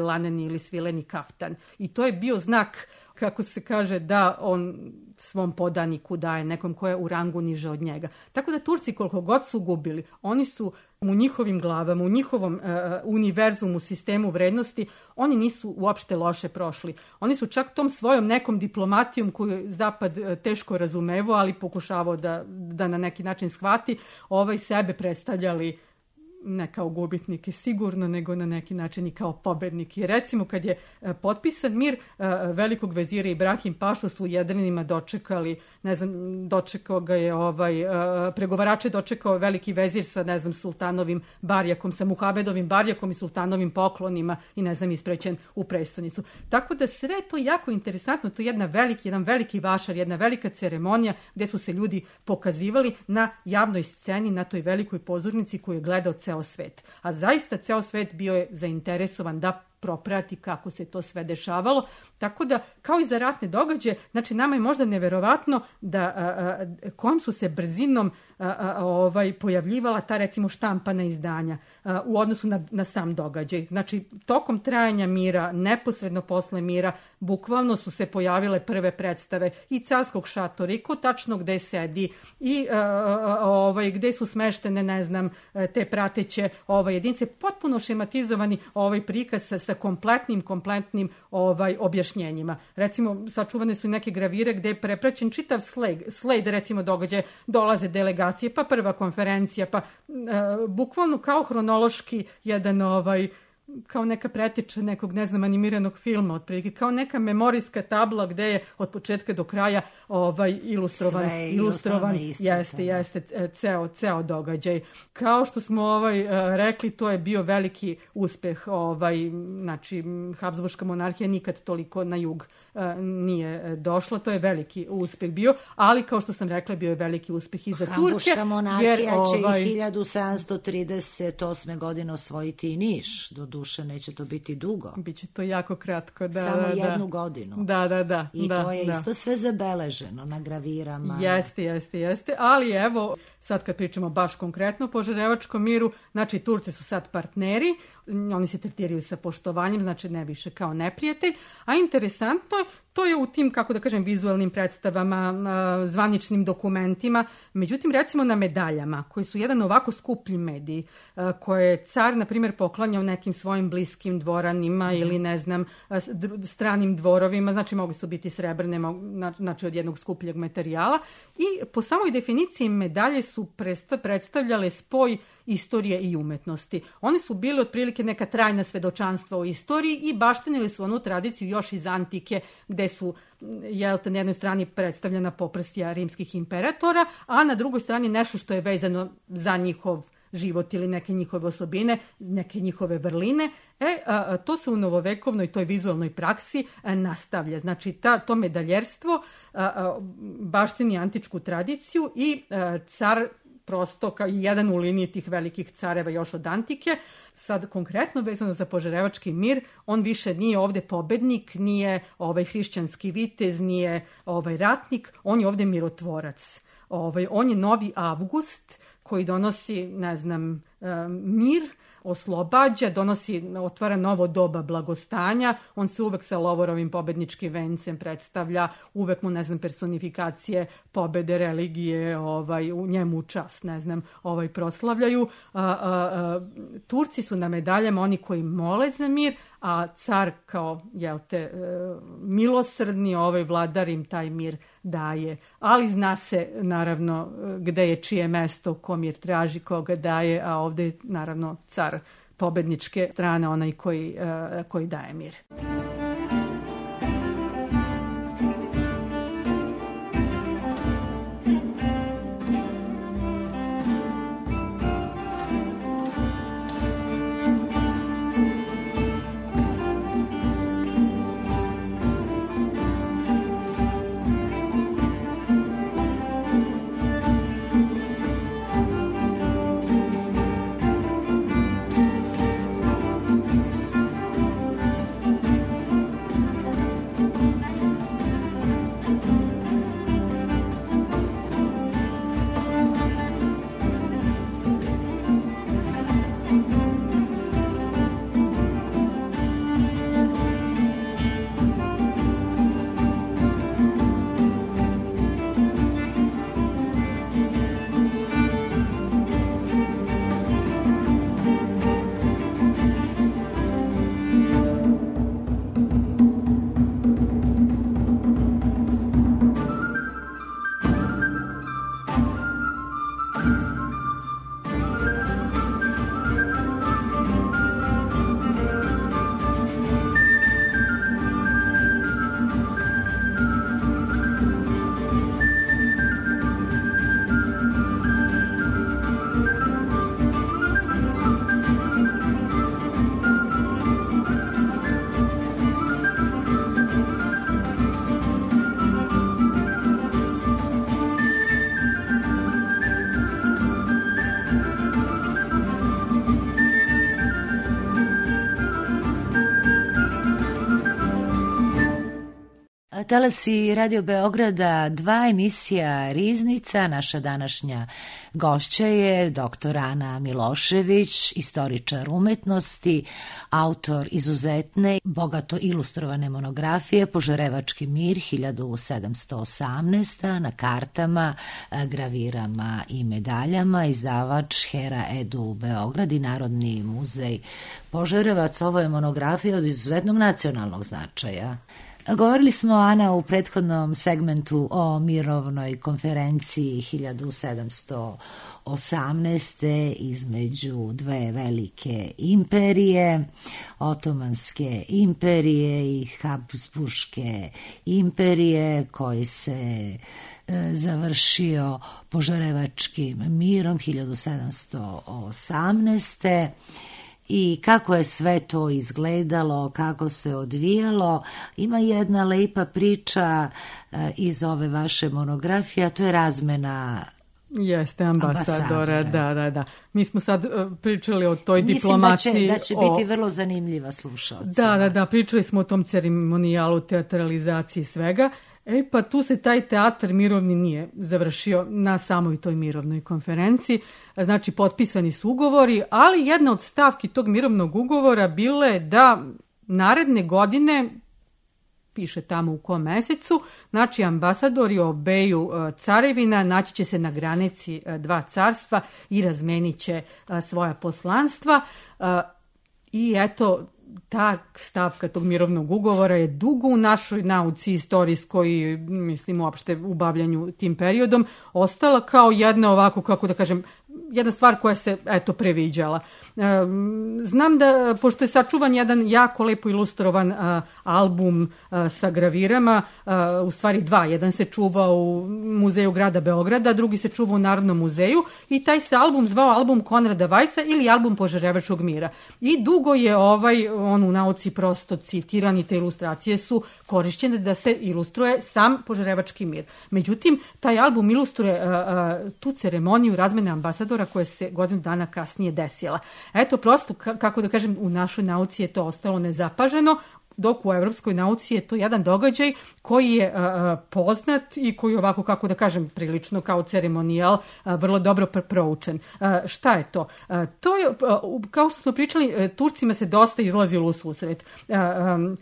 laneni ili svileni kaftan. I to je bio znak, kako se kaže, da on svom podaniku daje nekom ko je u rangu niže od njega. Tako da Turci, koliko god su gubili, oni su u njihovim glavama, u njihovom univerzumu, sistemu vrednosti, oni nisu uopšte loše prošli. Oni su čak tom svojom nekom diplomatijom koju je Zapad teško razumevao, ali pokušavao da na neki način shvati, sebe predstavljali ne kao gubitnike sigurno, nego na neki način i kao pobednik. I recimo kad je potpisan mir, velikog vezira Ibrahim Pašu su u Jedrenima dočekali, ne znam, dočekao ga je pregovarače dočekao veliki vezir sa, ne znam, sultanovim barjakom, sa Muhamedovim barjakom i sultanovim poklonima i, ne znam, isprećen u prestonicu. Tako da sve to jako interesantno, to je jedan veliki vašar, jedna velika ceremonija gde su se ljudi pokazivali na javnoj sceni, na toj velikoj pozornici koju je gledao ceo svet. A zaista ceo svet bio je zainteresovan da proprati kako se to sve dešavalo. Tako da, kao i za ratne događaje, znači nama je možda neverovatno da kojom su se brzinom pojavljivala ta, recimo, štampana izdanja u odnosu na sam događaj. Znači, tokom trajanja mira, neposredno posle mira, bukvalno su se pojavile prve predstave i carskog šatora, i ko tačno gde sedi, i gde su smeštene, ne znam, te prateće jedinice, potpuno šematizovani prikaz sa kompletnim objašnjenjima. Recimo, sačuvane su i neke gravire gde je prepraćen čitav sled, recimo, događaja, dolaze delegacije, pa prva konferencija, pa bukvalno kao hronološki jedan kao neka preteča nekog, ne znam, animiranog filma, otprilike, kao neka memorijska tabla gde je od početka do kraja ilustrovan jeste ceo događaj. Kao što smo rekli, to je bio veliki uspeh, znači Habsburška monarhija nikad toliko na jug nije došla, to je veliki uspeh bio, ali kao što sam rekla, bio je veliki uspeh i za Turke. Habsburška monarhija će i 1738. godine osvojiti i Niš, do duše neće to biti dugo. Biće to jako kratko. Samo jednu godinu. Da. I to je isto sve zabeleženo na gravirama. Jeste. Ali evo, sad kad pričamo baš konkretno o Požarevačkom miru, znači Turci su sad partneri, oni se tretiraju sa poštovanjem, znači ne više kao neprijatelj, a interesantno je, to je u tim, kako da kažem, vizualnim predstavama, zvaničnim dokumentima, međutim, recimo na medaljama, koji su jedan ovako skuplji medij, koje je car, na primjer, poklanjao nekim svojim bliskim dvoranima ili, ne znam, stranim dvorovima, znači mogli su biti srebrne, znači od jednog skupljeg materijala, i po samoj definiciji medalje su predstavljale spoj istorije i umetnosti. Oni su bili otprilike neka trajna svedočanstva o istoriji i baštenili su onu tradiciju još iz antike, gde su, na jednoj strani predstavljena poprsja rimskih imperatora, a na drugoj strani nešto što je vezano za njihov život ili neke njihove osobine, neke njihove vrline. To se u novovekovnoj toj vizualnoj praksi nastavlja. Znači, to medaljerstvo baštini antičku tradiciju i car prosto kao jedan u liniji tih velikih careva još od antike. Sad konkretno vezano za Požarevački mir, on više nije ovde pobednik, nije hrišćanski vitez, nije ratnik, on je ovde mirotvorac. On je novi Avgust koji donosi, ne znam, mir, oslobađa, otvara novo doba blagostanja, on se uvek sa lovorovim pobedničkim vencem predstavlja, uvek mu, ne znam, personifikacije pobede religije u njemu čast, ne znam, proslavljaju. Turci su na medaljama oni koji mole za mir, a car kao, milosrdni vladar im taj mir daje. Ali zna se, naravno, gde je čije mesto, ko mir traži, koga daje, a ovde je, naravno, car pobedničke strane, onaj koji daje mir. Talasi Radio Beograda, 2 emisija Riznica. Naša današnja gošća je dr. Ana Milošević, istoričar umetnosti, autor izuzetne, bogato ilustrovane monografije Požarevački mir 1718 na kartama, gravirama i medaljama, izdavač Hera Edu Beograd i Narodni muzej Požarevac. Ovo je monografija od izuzetnog nacionalnog značaja. Govorili smo, Ana, u prethodnom segmentu o mirovnoj konferenciji 1718. između dve velike imperije, Otomanske imperije i Habsburške imperije, koji se završio Požarevačkim mirom 1718. I kako je sve to izgledalo, kako se odvijalo. Ima jedna lepa priča iz ove vaše monografije, a to je razmena Jeste, ambasadora, da. Mi smo sad pričali o toj diplomaciji. Mislim da će biti vrlo zanimljiva slušalcima. Da, pričali smo o tom ceremonijalu, teatralizaciji svega. Pa tu se taj teatr mirovni nije završio na samoj toj mirovnoj konferenciji. Znači, potpisani su ugovori, ali jedna od stavki tog mirovnog ugovora bila je da naredne godine, piše tamo u kom mesecu, znači ambasadori obeju carevina naći će se na granici 2 carstva i razmenit će svoja poslanstva. I eto, ta stavka tog mirovnog ugovora je dugo u našoj nauci istorijskoj, mislim uopšte u bavljanju tim periodom, ostala kao jedna ovako, kako da kažem, jedna stvar koja se previđala. Znam da, pošto je sačuvan jedan jako lepo ilustrovan album sa gravirama, u stvari 2, jedan se čuva u Muzeju grada Beograda, drugi se čuva u Narodnom muzeju i taj se album zvao album Konrada Vajsa ili album Požarevačkog mira. I dugo je on u nauci prosto citiran i te ilustracije su korišćene da se ilustruje sam Požarevački mir. Međutim, taj album ilustruje tu ceremoniju razmene ambasadora koja se godinu dana kasnije desila. Eto, prosto, kako da kažem, u našoj nauci je to ostalo nezapaženo, dok u evropskoj nauci je to jedan događaj koji je poznat i koji ovako, kako da kažem, prilično kao ceremonijal vrlo dobro proučen. Šta je to? To je, kao što smo pričali, Turcima se dosta izlazilo u susret.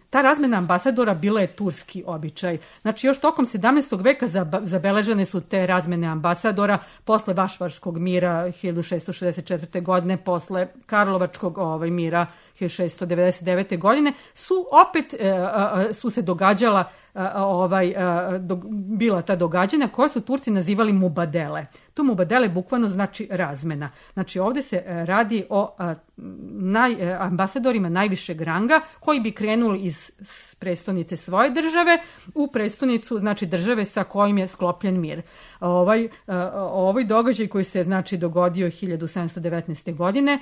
Ta razmena ambasadora bila je turski običaj. Znači, još tokom 17. veka zabeležene su te razmene ambasadora posle Vašvarskog mira 1664. godine, posle Karlovačkog mira 1699. godine, su se događala bila ta događanja koja su Turci nazivali mubadele. To mubadele bukvalno znači razmena. Znači ovdje se radi o ambasadorima najvišeg ranga koji bi krenuli iz prestonice svoje države u prestonicu, znači države sa kojim je sklopljen mir. Ovaj događaj koji se znači dogodio 1719. godine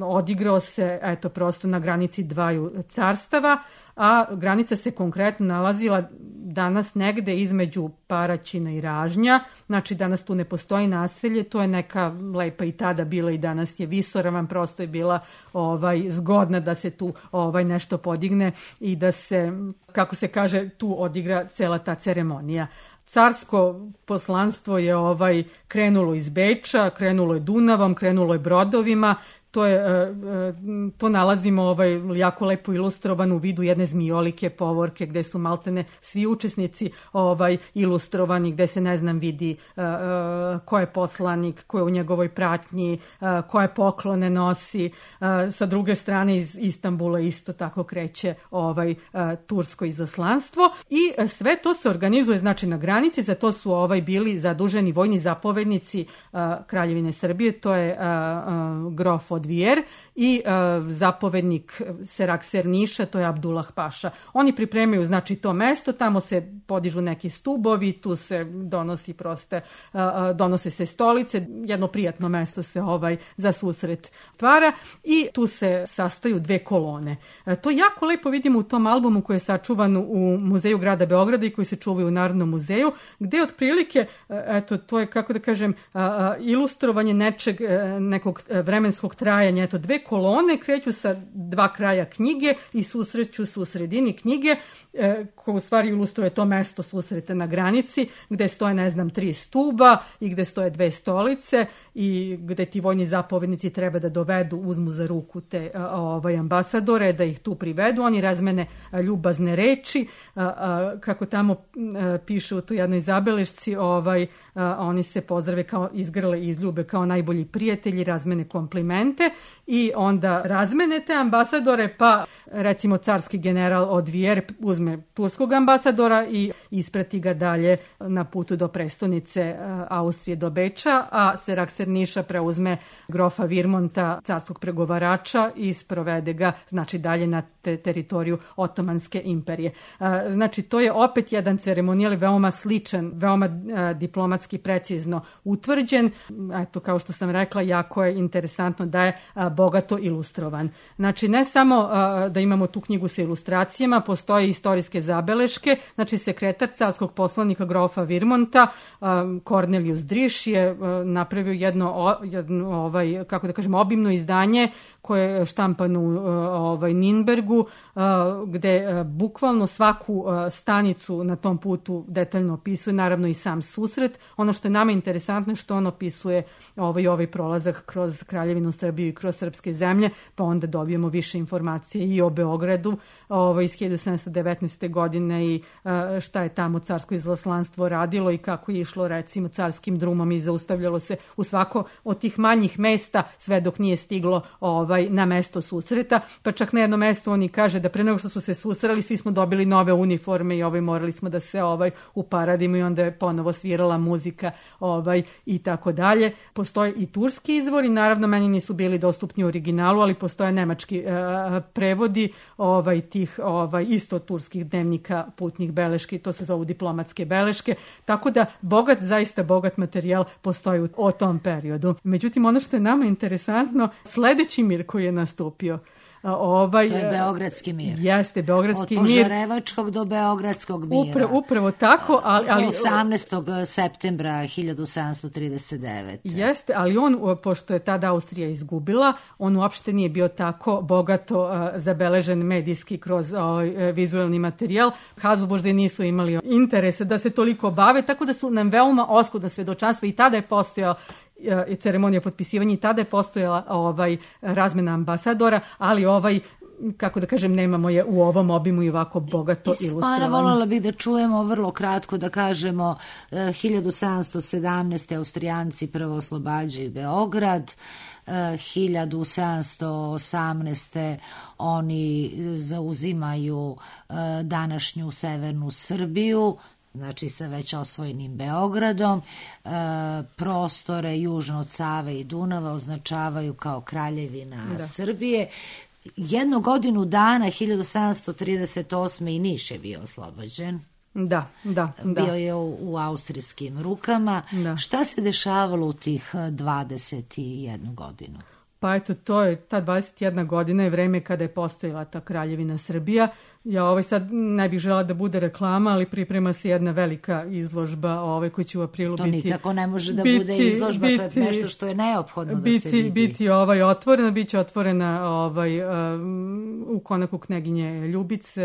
odigrao se prosto na granici 2 carstava, a granica se konkretno nalazila danas negde između Paraćina i Ražnja, znači danas tu ne postoji naselje, to je neka lepa i tada bila i danas je visoravan, prosto je bila zgodna da se tu nešto podigne i da se, kako se kaže, tu odigra cela ta ceremonija. Carsko poslanstvo je krenulo iz Beča, krenulo je Dunavom, krenulo je brodovima. To nalazimo jako lepo ilustrovan u vidu jedne zmijolike povorke gde su maltene svi učesnici ilustrovani, gde se vidi ko je poslanik, ko je u njegovoj pratnji, koje poklone nosi. Sa druge strane iz Istanbula isto tako kreće tursko izaslanstvo i sve to se organizuje znači na granici, za to su bili zaduženi vojni zapovednici Kraljevine Srbije, to je grof Odvijer i zapovednik Serakser Niša, to je Abdullah Paša. Oni pripremaju znači to mesto, tamo se podižu neki stubovi, tu se donose se stolice, jedno prijatno mesto se za susret stvara i tu se sastaju 2 kolone. To jako lepo vidimo u tom albumu koji je sačuvan u Muzeju grada Beograda i koji se čuvaju u Narodnom muzeju, gde otprilike, to je, kako da kažem, ilustrovanje nekog vremenskog trajanja. 2 kolone kreću sa dva kraja knjige i susreću se u sredini knjige, koja u stvari ilustruje to mesto susreta na granici, gde stoje, 3 stuba i gde stoje 2 stolice i gde ti vojni zapovednici treba da dovedu, uzmu za ruku te ambasadore, da ih tu privedu. Oni razmene ljubazne reči, kako tamo piše u toj jednoj zabelešci, oni se pozdrave kao izgrle i izljube kao najbolji prijatelji, razmene komplimente i onda razmene te ambasadore, pa recimo carski general Odvijer uzme turskog ambasadora i isprati ga dalje na putu do prestonice Austrije, do Beča, a Serakserniša preuzme grofa Virmonta, carskog pregovarača, i sprovede ga, znači, dalje na teritoriju Otomanske imperije. Znači, to je opet jedan ceremonijal veoma sličan, veoma diplomatski precizno utvrđen. Eto, kao što sam rekla, jako je interesantno da je bogato ilustrovan. Znači, ne samo da imamo tu knjigu sa ilustracijama, postoje istorijske zabeleške. Znači, sekretar carskog poslanika grofa Virmonta, Cornelius Driš, je napravio jedno kako da kažem, obimno izdanje koje je štampano u Ninbergu, gde bukvalno svaku stanicu na tom putu detaljno opisuje, naravno i sam susret. Ono što je nama interesantno je što on opisuje ovaj prolazak kroz Kraljevinu Srbiju i kroz srpske zemlje, pa onda dobijemo više informacije i o Beogradu iz 1719. godine i šta je tamo carsko izaslanstvo radilo i kako je išlo, recimo, carskim drumom i zaustavljalo se u svako od tih manjih mesta sve dok nije stiglo na mesto susreta. Pa čak na jednom mestu oni kaže da pre nego što su se susreli svi smo dobili nove uniforme i morali smo da se uparadimo i onda je ponovo svirala muzika i tako dalje. Postoje i turski izvori, naravno meni nisu bili dostupni u originalu, ali postoje nemački prevodi tih isto turskih dnevnika, putnih beleški, to se zovu diplomatske beleške, tako da zaista bogat materijal postoji o tom periodu. Međutim, ono što je nama interesantno, sledeći mir koji je nastupio, to je Beogradski mir. Jeste, Beogradski mir. Od Požarevačkog do Beogradskog mira. Upravo tako. Ali 18. septembra 1739. Jeste, ali on, pošto je tada Austrija izgubila, on uopšte nije bio tako bogato zabeležen medijski kroz vizuelni materijal. Habsburzi nisu imali interesa da se toliko bave, tako da su nam veoma oskudna svedočanstva i tada je postojao i ceremonija potpisivanja i tada je postojala razmena ambasadora, ali kako da kažem, nemamo je u ovom obimu i ovako bogato ilustrovano. Voljela bih da čujemo vrlo kratko, da kažemo 1717. Austrijanci prvo oslobađaju Beograd, 1718. oni zauzimaju današnju severnu Srbiju, znači sa već osvojenim Beogradom, prostore južno od Save i Dunava označavaju kao Kraljevina Srbije. Jednu godinu dana, 1738. i Niš je bio oslobođen. Da. Bio je u austrijskim rukama. Da. Šta se dešavalo u tih 21 godinu? Pa eto, ta 21 godina je vreme kada je postojala ta Kraljevina Srbija. Ja sad ne bih žela da bude reklama, ali priprema se jedna velika izložba koja će u aprilu biti... To nikako ne može da bude izložba, to je nešto što je neophodno da se vidi. Biti otvorena, bit će otvorena u konaku Kneginje Ljubice,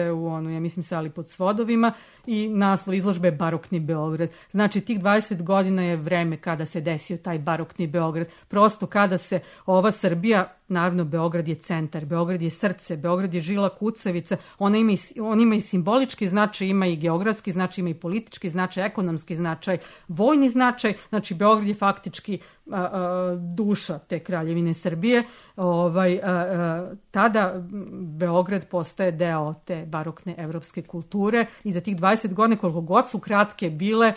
ja mislim, sali pod svodovima, i naslov izložbe je Barokni Beograd. Znači, tih 20 godina je vreme kada se desio taj barokni Beograd. Prosto kada se ova Srbija, naravno Beograd je centar, Beograd je srce, Beograd je žila kucavica, on ima i simbolički značaj, ima i geografski značaj, ima i politički značaj, ekonomski značaj, vojni značaj, znači Beograd je faktički duša te Kraljevine Srbije. Tada Beograd postaje deo te barokne evropske kulture i za tih 20 godina, koliko god su kratke bile,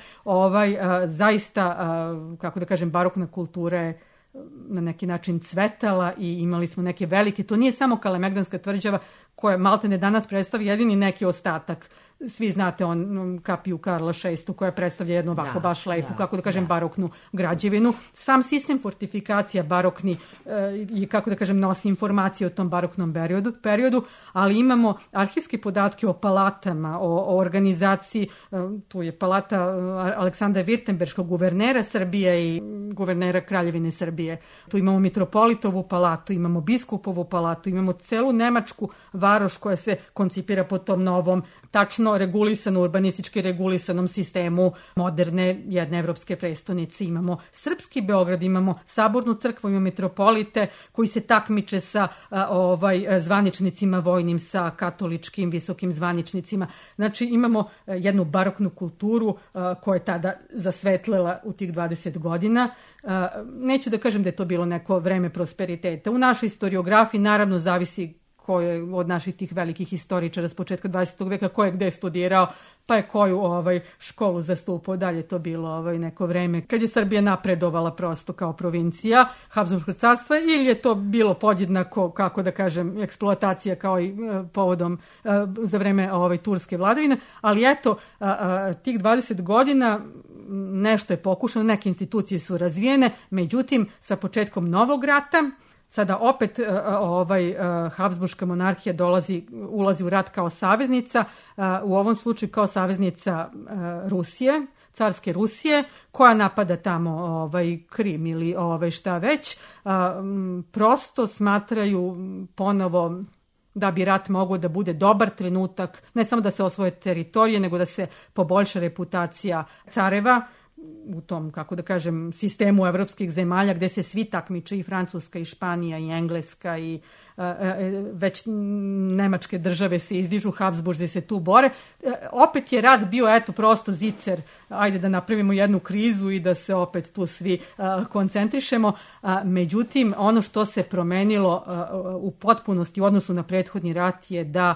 zaista, kako da kažem, barokna kultura je na neki način cvetala i imali smo neke velike, to nije samo Kalemegdanska tvrđava koja maltene danas predstavlja jedini neki ostatak svi znate kapiju Karla VI koja predstavlja jednu ovako baš lepu, kako da kažem, baroknu građevinu. Sam sistem fortifikacija barokni i, kako da kažem, nosi informacije o tom baroknom periodu, ali imamo arhivske podatke o palatama, o organizaciji. Tu je palata Aleksandra Virtemberškog, guvernera Srbije i guvernera Kraljevine Srbije. Tu imamo mitropolitovu palatu, imamo biskupovu palatu, imamo celu nemačku varoš koja se koncipira po tom novom, tačno urbanistički regulisanom sistemu moderne jedne evropske prestonice. Imamo srpski Beograd, imamo sabornu crkvu, imamo mitropolite koji se takmiče sa zvaničnicima vojnim, sa katoličkim visokim zvaničnicima. Znači imamo jednu baroknu kulturu koja je tada zasvetlila u tih 20 godina. Neću da kažem da je to bilo neko vreme prosperiteta. U našoj historiografiji naravno zavisi ko je od naših tih velikih historičara s početka 20. veka, ko je gde studirao, pa je koju školu zastupao. Dalje to bilo neko vreme kad je Srbija napredovala prosto kao provincija Habsburškog carstva, ili je to bilo podjednako, kako da kažem, eksploatacija kao i povodom za vreme turske vladavine. Ali eto, tih 20 godina nešto je pokušano, neke institucije su razvijene, međutim sa početkom novog rata sada opet Habsburška monarhija ulazi u rat kao saveznica, u ovom slučaju kao saveznica Rusije, carske Rusije, koja napada tamo Krim ili šta već. Prosto smatraju ponovo da bi rat mogao da bude dobar trenutak, ne samo da se osvoje teritorije, nego da se poboljša reputacija careva u tom, kako da kažem, sistemu evropskih zemalja gde se svi takmiče, i Francuska i Španija i Engleska i već nemačke države se izdižu, Habsburzi se tu bore. Opet je rat bio prosto zicer, ajde da napravimo jednu krizu i da se opet tu svi koncentrišemo. Međutim, ono što se promenilo u potpunosti u odnosu na prethodni rat je da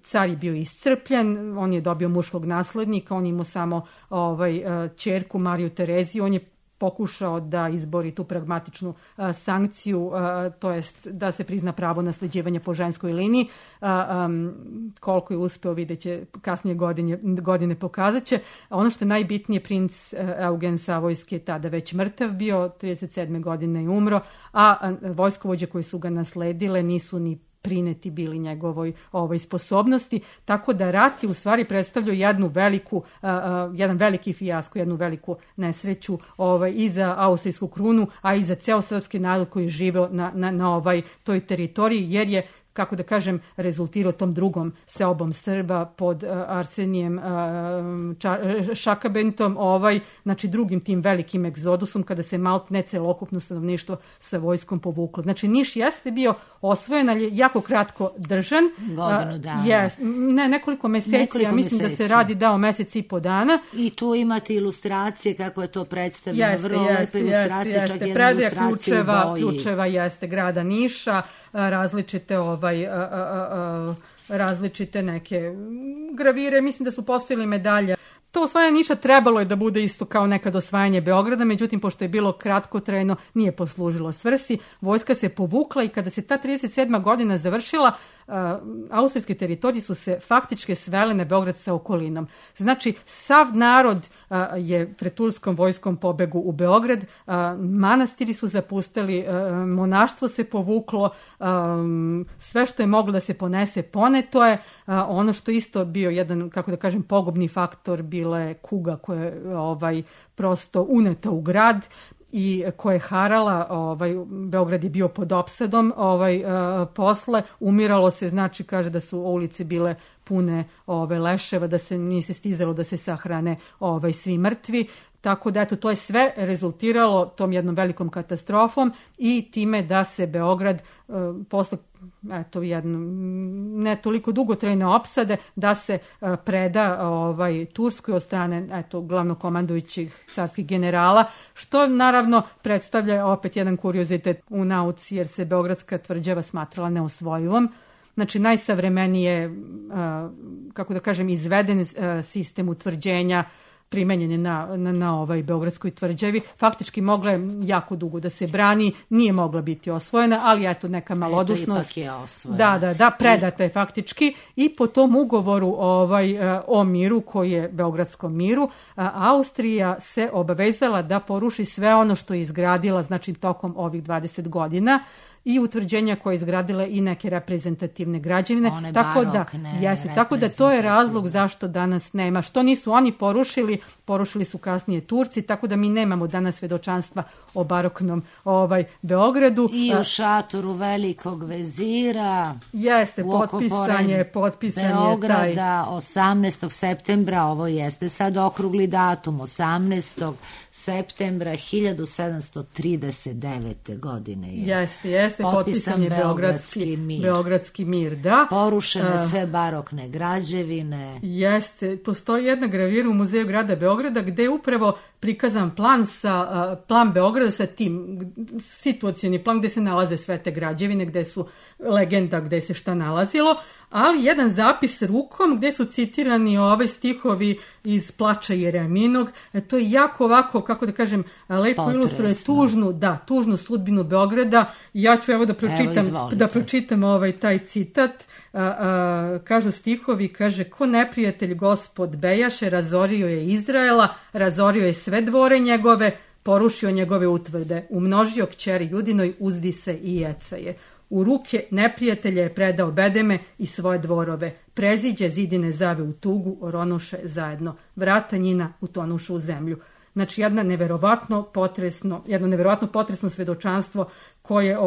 car je bio iscrpljen, on je dobio muškog naslednika, on imao samo ćerku Mariju Tereziju, on je pokušao da izbori tu pragmatičnu sankciju, to jest da se prizna pravo nasleđivanja po ženskoj liniji. Koliko je uspeo, vidjet će kasnije godine pokazat će. Ono što je najbitnije, princ Eugen Savojski je tada već mrtav bio, 37. godine je umro, a vojskovođe koji su ga nasledile nisu ni prineti bili njegovoj sposobnosti, tako da rat je u stvari predstavljao jedan veliki fijasko, jednu veliku nesreću i za austrijsku krunu, a i za ceo srpski narod koji je živeo na toj teritoriji, jer je, kako da kažem, rezultirao tom drugom seobom Srba pod Arsenijem Šakabentom, znači drugim tim velikim egzodusom, kada se maltene celokupno stanovništvo sa vojskom povuklo. Znači Niš jeste bio osvojen, ali je jako kratko držan. Godinu dana. Nekoliko meseci, ja mislim da se radi o mesec i po dana. I tu imate ilustracije kako je to predstavljeno, vrlo lepe ilustracije, čak jedna Predaja ilustracija u boji. ključeva jeste grada Niša, različite različite neke gravire, mislim da su postavili medalje. To osvajanje Niša trebalo je da bude isto kao nekad osvajanje Beograda, međutim, pošto je bilo kratkotrajno, nije poslužilo svrsi. Vojska se povukla i kada se ta 37. godina završila, austrijske teritorije su se faktički svele na Beograd sa okolinom. Znači, sav narod je pred turskom vojskom pobegu u Beograd, manastiri su zapustili, monaštvo se povuklo, sve što je moglo da se ponese, poneto je. Ono što isto bio jedan, kako da kažem, pogubni faktor, bila je kuga koja je prosto uneta u grad i koja je harala, Beograd je bio pod opsadom posle, umiralo se, znači kaže da su ulice bile pune leševa, da se nije stizalo da se sahrane svi mrtvi. Tako da, eto, to je sve rezultiralo tom jednom velikom katastrofom i time da se Beograd posle ne toliko dugotrajne opsade, da se preda Turskoj od strane glavnokomandujućih carskih generala, što naravno predstavlja opet jedan kuriozitet u nauci, jer se Beogradska tvrđava smatrala neosvojivom. Znači, najsavremenije, kako da kažem, izveden sistem utvrđenja primenjene na Beogradskoj tvrđavi. Faktički mogla je jako dugo da se brani, nije mogla biti osvojena, ali eto neka malodušnost. Ipak je osvojena. Da, predata je faktički i po tom ugovoru o miru, koji je Beogradskom miru, Austrija se obavezala da poruši sve ono što je izgradila, znači tokom ovih 20 godina, i utvrđenja koje je izgradila i neke reprezentativne građevine. One tako da to je razlog zašto danas nema. Što nisu oni porušili su kasnije Turci, tako da mi nemamo danas svedočanstva o baroknom Beogradu. I u šatoru velikog vezira. Jeste, potpisan Beograda 18. septembra, ovo jeste sad okrugli datum, 18. septembra 1739. godine je. Jeste, potpisan je Beogradski mir, da. Porušene sve barokne građevine. Jeste, postoji jedna gravira u Muzeju grada Beograda gde je upravo prikazan plan Beograda sa tim situacioni plan gde se nalaze sve te građevine, gde su legenda gde se šta nalazilo, ali jedan zapis rukom gde su citirani stihovi iz Plača Jereminog. To je jako ovako, kako da kažem, lepo ilustruje tužnu sudbinu Beograda. Ja ću da pročitam taj citat. Kažu stihovi, kaže: ko neprijatelj gospod bejaše, razorio je Izraela, razorio je sve dvore njegove, porušio njegove utvrde, umnožio kćeri Judinoj, uzdi se i jecaje. U ruke neprijatelja je predao bedeme i svoje dvorove. Preziđe zidine zave u tugu, oronuše zajedno. Vrata njina utonuše u zemlju. Znači, jedno neverovatno potresno svedočanstvo koje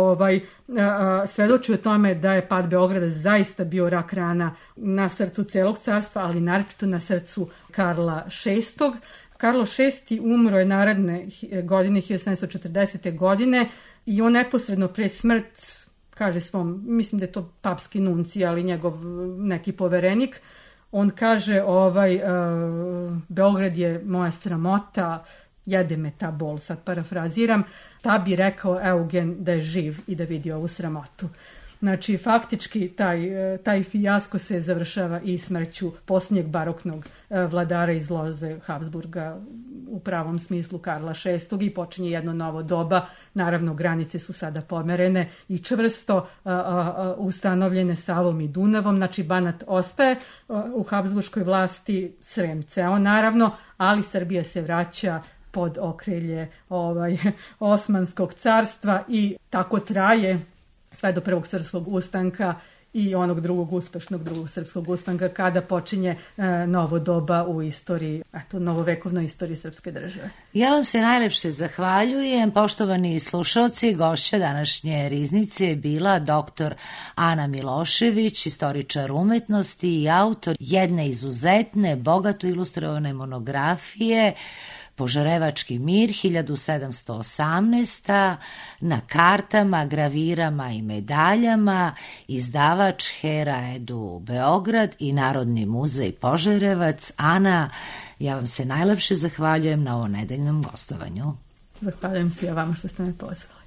svedoči o tome da je pad Beograda zaista bio rak rana na srcu celog carstva, ali naročito na srcu Karla VI. Karlo VI umro je naredne godine, 1740. godine, i on neposredno pre smrt kaže svom, mislim da je to papski nunci, ali njegov neki poverenik, on kaže Beograd je moja sramota, jede me ta bol, sad parafraziram, ta bi rekao Eugen da je živ i da vidi ovu sramotu. Znači, faktički taj fijasko se završava i smrću posljednjeg baroknog vladara iz loze Habsburga, u pravom smislu Karla VI, i počinje jedno novo doba. Naravno, granice su sada pomerene i čvrsto ustanovljene Savom i Dunavom. Znači, Banat ostaje u Habsburškoj vlasti, Srem ceo naravno, ali Srbija se vraća pod okrilje Osmanskog carstva i tako traje sve do Prvog srpskog ustanka i onog uspešnog drugog srpskog ustanka, kada počinje novo doba u istoriji, novovekovnoj istoriji srpske države. Ja vam se najlepše zahvaljujem. Poštovani slušalci, gošća današnje riznice je bila dr. Ana Milošević, istoričar umetnosti i autor jedne izuzetne, bogato ilustrovane monografije Požarevački mir 1718. na kartama, gravirama i medaljama, izdavač Hera Edu Beograd i Narodni muzej Požarevac. Ana, ja vam se najlepše zahvaljujem na ovom nedeljnom gostovanju. Zahvaljujem se ja vama što ste me pozvali.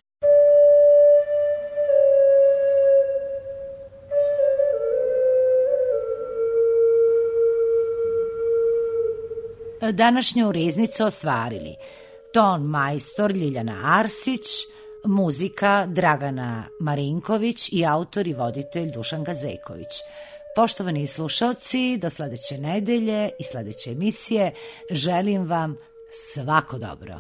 Današnju riznicu ostvarili ton majstor Ljiljana Arsić, muzika Dragana Marinković i autor i voditelj Dušan Gazeković. Poštovani slušalci, do sledeće nedelje i sledeće emisije želim vam svako dobro.